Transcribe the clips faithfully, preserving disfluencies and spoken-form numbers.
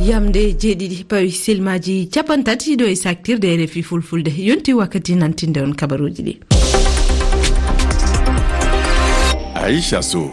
Yamde jeeɗiɗi pawi silmaaji capanɗe tati ɗo e saktirde R F I Fulfulde. Yonti wakkati nantinde on kabaruuji ɗi. Aisha Sow.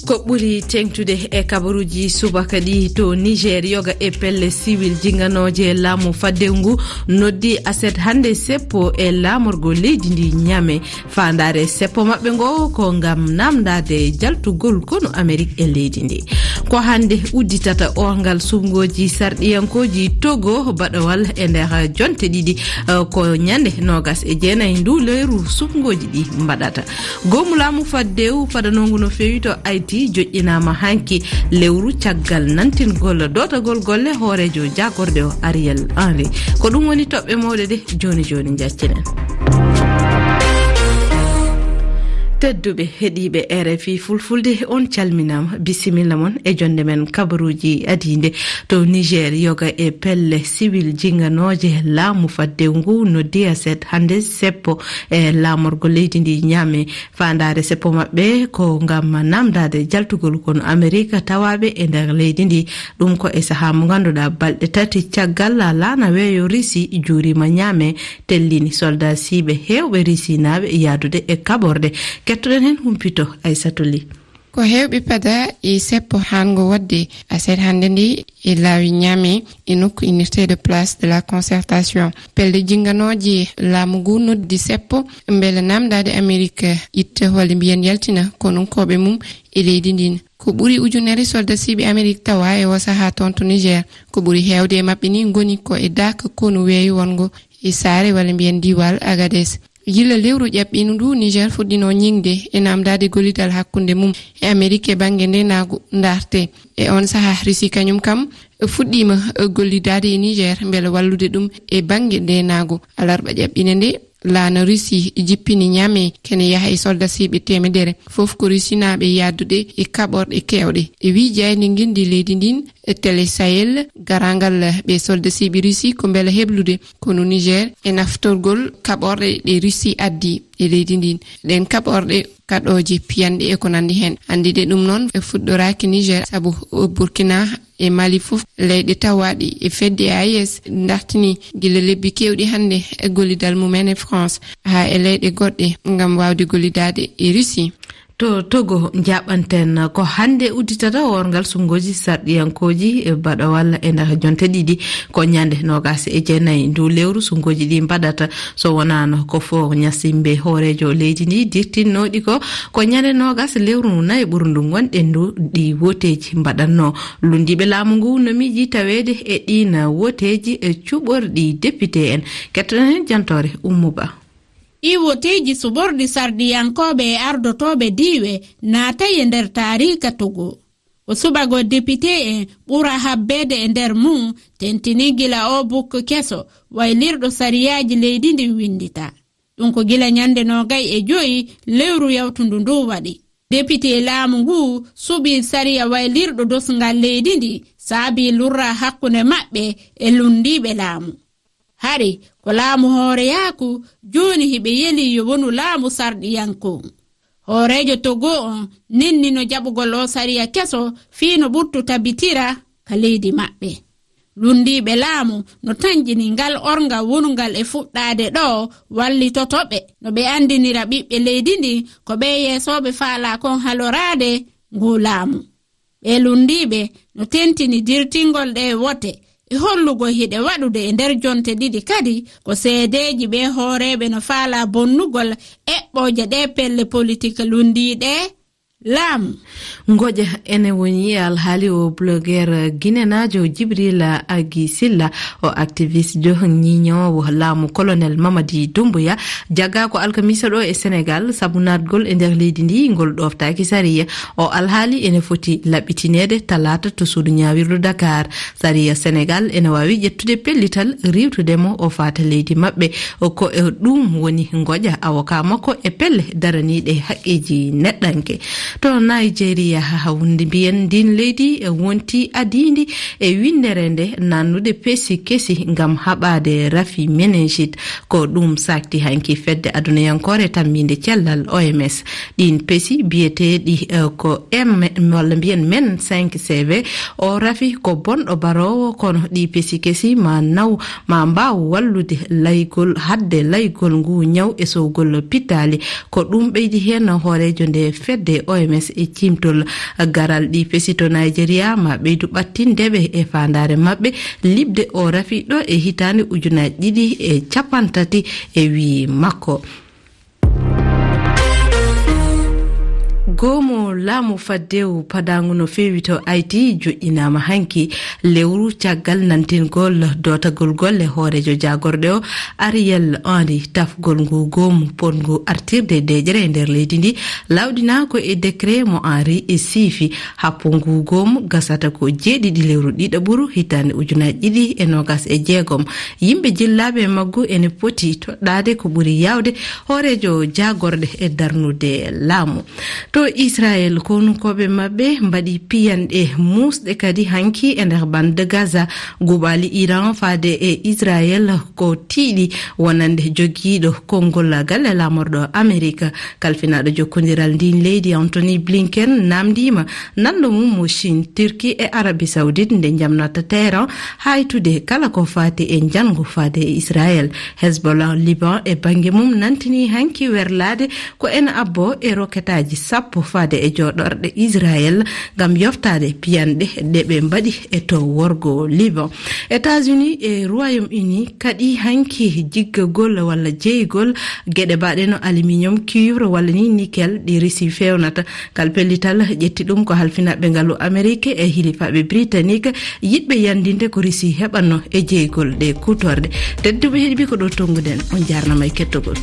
Ko ɓuri teŋtude e kabaruuji subaka ɗi, to Niger, yoga e pelle siwil jinganooje laamu faddewu ngu noddi aset hannde seppo e laamorgo leydi ndi Niamey. Faandaare seppo maɓɓe ngo ko ngam namdaade jaltugol konu Amerik e leydi ndi. Ko hannde udditata orngal suɓngooji sarɗiyankooji Togo baɗawal e nder jonte ɗiɗi, eh, ko ñande noogas e jeenayi ndu lewru suɓngooji ɗi mbaɗata. Goomu laamu faddewu fadanongu no feewi to Haïti joƴƴinaama hanki lewru caggal nantingol dootagol golle hooreejo jaagorɗe o Ariel Henry. Ko ɗum woni toɓɓe mawɗe ɗe jooni jooni njaccinen. Tedduɓe heɗiiɓe R F I Fulfulde, on calminaama. Bisimilla mon e jonde men kabaruuji adiinde. To Niger, yoga e pelle siwil jinganooje laamu faddewu ngu noddi aset hannde seppo e laamorgo leydi ndi Niamey. Faandaare seppo maɓɓe ko ngam namdaade jaltugol konu Amerik tawaaɓe e nder leydi ndi. Ɗum ko e sahaa mo ngannduɗaa balɗe tati caggal laana weeyo Risi juuriima Niamey, tellini soldasiiɓe heewɓe Risinaaɓe yahdude e kaɓorɗe. Kettoɗen heen humpito Aysatu Li. Ko heewɓe pada e seppo haango waɗde aset hannde ndi e laawi Niamey e nokku Unité de Place de la Concertation. Pelle jinganooje laamu ngu noddi seppo mbele namdaade Amerik itta walla mbiyen yaltina konunkooɓe mum e leydi ndin. Ko ɓuri ujunere soldasiiɓe Amerik tawa e o sahaa toon to Niger. Ko ɓuri heewde e maɓɓe ni ngoni ko e daaka konu weeyo wonngo e saare walla mbiyen diiwal Agadez. Gila lewru ƴaɓɓiindu ndu, Niger fuɗɗino ñiŋde e namdaade gollidal hakkunde mum e Amerik e bannge ndeenaagu ndarte. E on sahaa, Risi kañum kam fuɗɗiima gollidaade e Niger mbele wallude ɗum e bannge ndeenaagu. Alarba ƴaɓɓiinde nde, laana Risi jippini Niamey kene yaha e soldasiiɓe teemedere, fof ko Risinaaɓe yahdude e kaɓorɗe keewɗe. E wii jaaynde ngenndi leydi ndin, Télé Sahel, garangal ɓe soldasiiɓe Risi ko mbele heblude konu Niger e naftorgol kaɓorɗe ɗe Risi addi e leydi ndin. Ɗen kaɓorɗe kaɗooje, piyanɗe e ko nanndi heen. Anndude ɗum noon, e fuɗɗoraaki Niger, sabu Burkina e Mali fof, leyɗe tawaaɗe e fedde A E S, ndartini gila lebbi keewɗi hannde e gollidal mumen e France, haa e leyɗe goɗɗe, ngam waawde gollidaade e Risi. To Togo, njaɓanten ko hannde udditata worngal suɓngooji sarɗiyankooji e baɗawal e nder jonte ɗiɗi, ko ñande noogas e jeenayi ndu lewru suɓngooji ɗi mbaɗata. So wonaano ko fo ñasimbe hooreejo leydi ndi dirtinnooɗi ko, ko ñande noogas lewru nayi ɓurndu ngonɗen ndu ɗi woteeji mbaɗatno. Lunndiiɓe laamu ngu no miiji taweede e ɗiin woteeji e cuɓorɗi député en. Kettoɗen heen jantoore Ummu Ba. Ɗii woteeji suɓorɗi sarɗiyankooɓe e ardotooɓe diiwe naatay e nder taariika Togo. Ko suɓagol député en ɓura habbeede e nder mum, tentini gila oo bukki keso waylirɗo sariyaaji leydi ndin winndita. Ɗum ko gila ñande noogay e joyi lewru yawtundu ndu waɗi. Député laamu ngu suɓii sariya waylirɗo dosngal leydi ndi, saabii lurra hakkunde maɓɓe e lunndiiɓe laamu. Hari ko laamu hooreyaaku, jooni hiɓe yeli yo wonu laamu sarɗiyanko. Hooreejo Togo on nennino jaɓugol oo sariya keso fii no ɓuttu tabitira ka leydi maɓɓe. Lunndiiɓe laamu no tanƴini ngal orngal wonungal e fuɗɗaade ɗoo wallitoto ɓe, no ɓe anndinira ɓiɓɓe leydi ndin ko ɓe yeesooɓe faalaa kon haloraade nguu laamu. Ɓee lunndiiɓe no tentini dirtingol ɗee wote e hollugol hiɗe waɗude e nder jonte ɗiɗi kadi ko seedeeji ɓee hooreeɓe no faalaa bonnugol eɓɓooje ɗee pelle politik lunndiiɗe laamu. Ngoƴa ene woni e alhaali o blogueur guinénaajo Jibril Agi Silla, o activiste jo ñiñoowo laamu colonel Mamadi Doumbouya, jaggaa ko alkamisa ɗo e Senegal sabu naatgol e nder leydi ndi ngol ɗooftaaki sariya. O alhaali ene foti laɓɓitineede talaata to suudu ñaawirdu Dakar. Sariya Senegal ene waawi ƴettude pellital riiwtude mo o faata leydi maɓɓe. Ko e ɗum woni ngoƴa avocat makko e pelle daraniiɗe haqqeeji neɗɗanke. To Nigeria, hawndi mbiyen ndin leydi e wonti adiindi e winndere nde nannude pesi kesi ngam haɓaade rafi meningite. Ko ɗum sakti hanki fedde adunayankoore tammiinde cellal O M S. Ɗin pesi biyeteeɗi, eh, ko M, walla mbiyen men cinq C V, o rafi ko bonɗo baroowo, kono ɗi pesi kesi ma naw, ma mbaaw wallude laygol, hadde laygol ngu ñaw e sowgol pittaali. Ko ɗum ɓeydi heen hooreejo nde fedde O M S e cimtol. Garal ɗi pesi to Nigeria ma ɓeydu ɓattindeɓe e faandaare maɓɓe liɓde o rafi ɗo e hitaande ujunaaji ɗiɗi e cappanɗe tati e wii makko. Goomu laamu faddewu padaangu no feewi to Haïti joƴƴinaama hanki, lewru caggal nantingol dootagol golle hooreejo jaagorɗe o, Ariel Henry. Tafgol ngu goomu potngu artirde deeƴere e nder leydi ndi lawɗinaa ko e décret mo Henry e siifi. Happu ngu goomu gasata ko jeeɗiɗi lewru ɗiɗaɓuru hitaande ujunaaji ɗiɗi e noogas e jeegom. Yimɓe jillaaɓe e maggu ene poti toɗɗaade ko ɓuri yaawde hooreejo jaagorɗe e darnude laamu. To Israel, konunkooɓe maɓɓe mbaɗi piyanɗe muusɗe kadi hanki e nder bande Gaza. Guɓaali Iran faade e Israel ko tiiɗi wonande jogiiɗo konngol galle laamorɗo Amerika. Kalfinaaɗo jokkondiral ndin leydi Antony Blinken namndiima nanndo mum mo Chine, Turquie e Arabie Saoudite nde njamnata Téhéran haytude kala ko faati e njanngu faade e Israel. Hezbollah Liban e bannge mum nantini hanki werlaade ko ene abbo e roketaaji sappo faade e jooɗorɗe Israel ngam yoftaade piyanɗe ɗe ɓe mbaɗi e to worgo Liban. États-Unis e Royaume-Uni kaɗi hanki jiggagol walla jeygol geɗe baɗe no aluminium, cuivre walla ni nickel ɗi Russie fewnata. Ngal pellital ƴetti ɗum ko halfinaaɓe ngalu Amerique e hilifaaɓe Britannique yiɗɓe yandinde ko Russie heɓanno e jeygol ɗe kuutorɗe. Tedduɓe heɗiɓe, ko ɗo tonguɗen. On jarnama e kettogol.